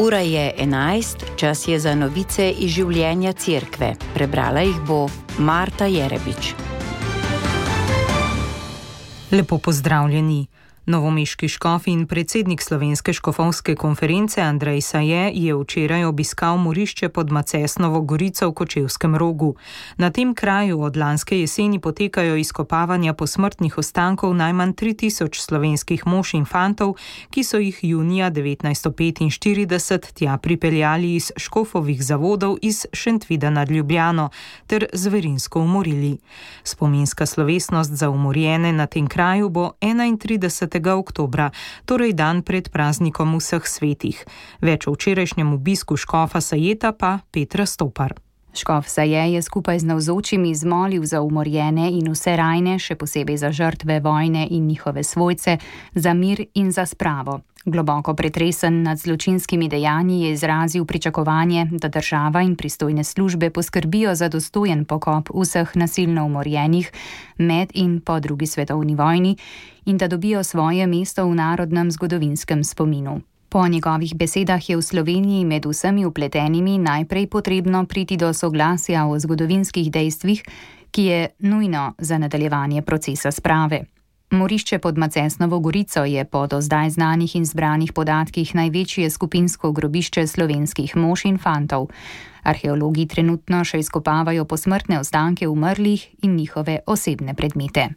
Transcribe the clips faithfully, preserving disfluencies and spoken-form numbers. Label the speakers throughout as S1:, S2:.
S1: Ura je enajst, čas je za novice iz življenja cerkve. Prebrala jih bo Marta Jerebič.
S2: Lepo pozdravljeni. Novomeški škof in predsednik Slovenske škofovske konference Andrej Saje je včeraj obiskal morišče pod Macesnovo gorico v Kočevskem Rogu. Na tem kraju od lanske jeseni potekajo izkopavanja posmrtnih ostankov najmanj tri tisoč slovenskih mož in fantov, ki so jih junija devetnajststo petinštirideset tja pripeljali iz škofovih zavodov iz Šentvida nad Ljubljano ter zverinsko umorili. Spominska slovesnost za umorjene na tem kraju bo enaintridesetega oktobra, torej dan pred praznikom vseh svetih. Več o včerajšnjem obisku škofa Sajeta pa Petra Stopar.
S3: Škof Saje je skupaj z navzočimi zmolil za umorjene in vse rajne, še posebej za žrtve vojne in njihove svojce, za mir in za spravo. Globoko pretresen nad zločinskimi dejanji je izrazil pričakovanje, da država in pristojne službe poskrbijo za dostojen pokop vseh nasilno umorjenih med in po drugi svetovni vojni in da dobijo svoje mesto v narodnem zgodovinskem spominu. Po njegovih besedah je v Sloveniji med vsemi vpletenimi najprej potrebno priti do soglasja o zgodovinskih dejstvih, ki je nujno za nadaljevanje procesa sprave. Morišče pod Macesnovo gorico je po do zdaj znanih in zbranih podatkih največje skupinsko grobišče slovenskih mož in fantov. Arheologi trenutno še izkopavajo posmrtne ostanke umrlih in njihove osebne predmete.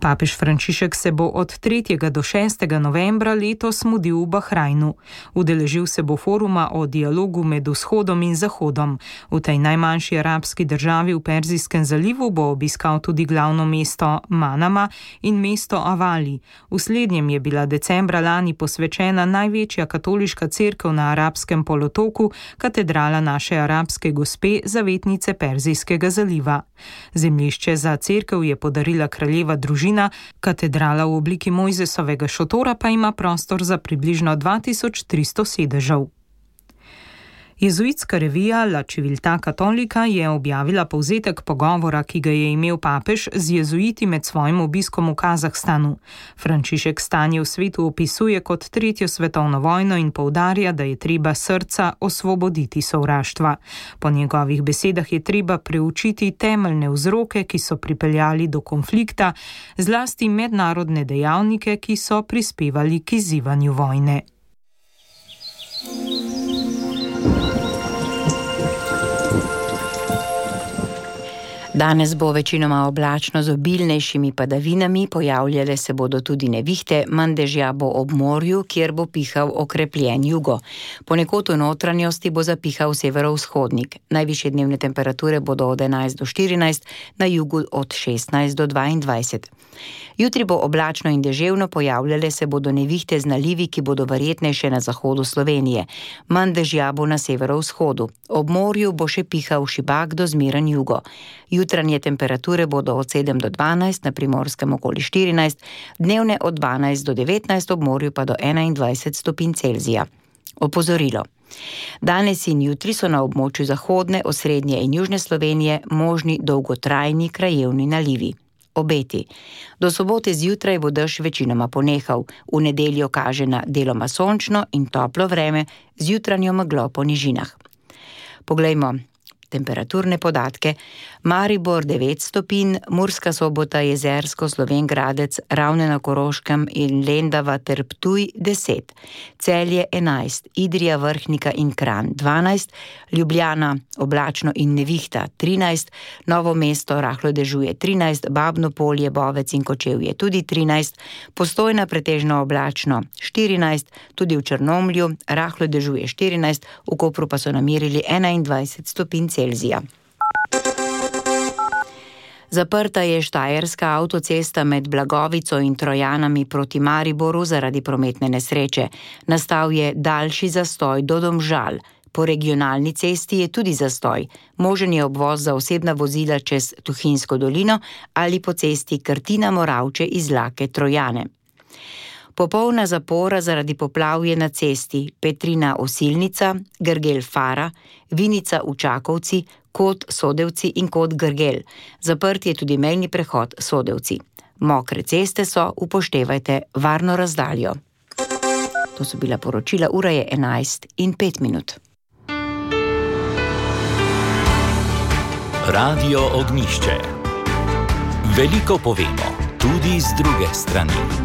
S2: Papež Frančišek se bo od tretjega do šestega novembra letos mudil v Bahrajnu. Udeležil se bo foruma o dialogu med vzhodom in zahodom. V tej najmanjši arabski državi v Perzijskem zalivu bo obiskal tudi glavno mesto Manama in mesto Avali. V slednjem je bila decembra lani posvečena največja katoliška cerkev na arabskem polotoku, katedrala naše arabske gospe, zavetnice Perzijskega zaliva. Zemljišče za cerkev je podarila kraljeva družina, katedrala v obliki Mojzesovega šotora pa ima prostor za približno dva tisoč tristo sedežev. Jezuitska revija La Civiltà Cattolica je objavila povzetek pogovora, ki ga je imel papež z jezuiti med svojim obiskom v Kazahstanu. Frančišek stanje v svetu opisuje kot tretjo svetovno vojno in poudarja, da je treba srca osvoboditi sovraštva. Po njegovih besedah je treba preučiti temeljne vzroke, ki so pripeljali do konflikta, zlasti mednarodne dejavnike, ki so prispevali k izzivanju vojne.
S1: Danes bo večinoma oblačno z obilnejšimi padavinami, pojavljale se bodo tudi nevihte, manj dežja bo ob morju, kjer bo pihal okrepljen jugo. Ponekod v notranjosti bo zapihal severovzhodnik. Najvišje dnevne temperature bodo od enajst do štirinajst, na jugu od šestnajst do dvaindvajset. Jutri bo oblačno in deževno, pojavljale se bodo nevihte z nalivi, ki bodo verjetnejše na zahodu Slovenije. Manj dežja bo na severovzhodu. Ob morju bo še pihal šibak do zmeren jugo. Jutranje temperature bodo od sedem do dvanajst, na Primorskem okoli štirinajst, dnevne od dvanajst do devetnajst, ob morju pa do enaindvajset stopinj Celzija. Opozorilo. Danes in jutri so na območju zahodne, osrednje in južne Slovenije možni dolgotrajni krajevni nalivi. Obeti. Do sobote zjutraj bo dež večinoma ponehal. V nedeljo kaže na deloma sončno in toplo vreme z jutranjo meglo po nižinah. Poglejmo temperaturne podatke. Maribor devet stopinj, Murska Sobota, Jezersko, Slovenj Gradec, Ravne na Koroškem in Lendava ter Ptuj deset. Celje enajst, Idrija, Vrhnika in Kranj dvanajst, Ljubljana oblačno in nevihta trinajst, Novo mesto rahlo dežuje trinajst, Babno Polje, Bovec in Kočevje tudi trinajst, Postojna pretežno oblačno štirinajst, tudi v Črnomlju rahlo dežuje štirinajst, v Kopru pa so namerili enaindvajset stopinj Celzija. Zaprta je štajerska avtocesta med Blagovico in Trojanami proti Mariboru zaradi prometne nesreče. Nastal je daljši zastoj do Domžal. Po regionalni cesti je tudi zastoj. Možen je obvoz za osebna vozila čez Tuhinjsko dolino ali po cesti Krtina-Moravče iz Lake Trojane. Popolna zapora zaradi poplav je na cesti Petrina Osilnica, Grgel Fara, Vinica v Čakovci, Kot Sodevci in Kot Grgel. Zaprt je tudi mejni prehod Sodevci. Mokre ceste so, upoštevajte varno razdaljo. To so bila poročila, ura je enajst in pet minut.
S4: Radio Ognjišče. Veliko povemo, tudi z druge strani.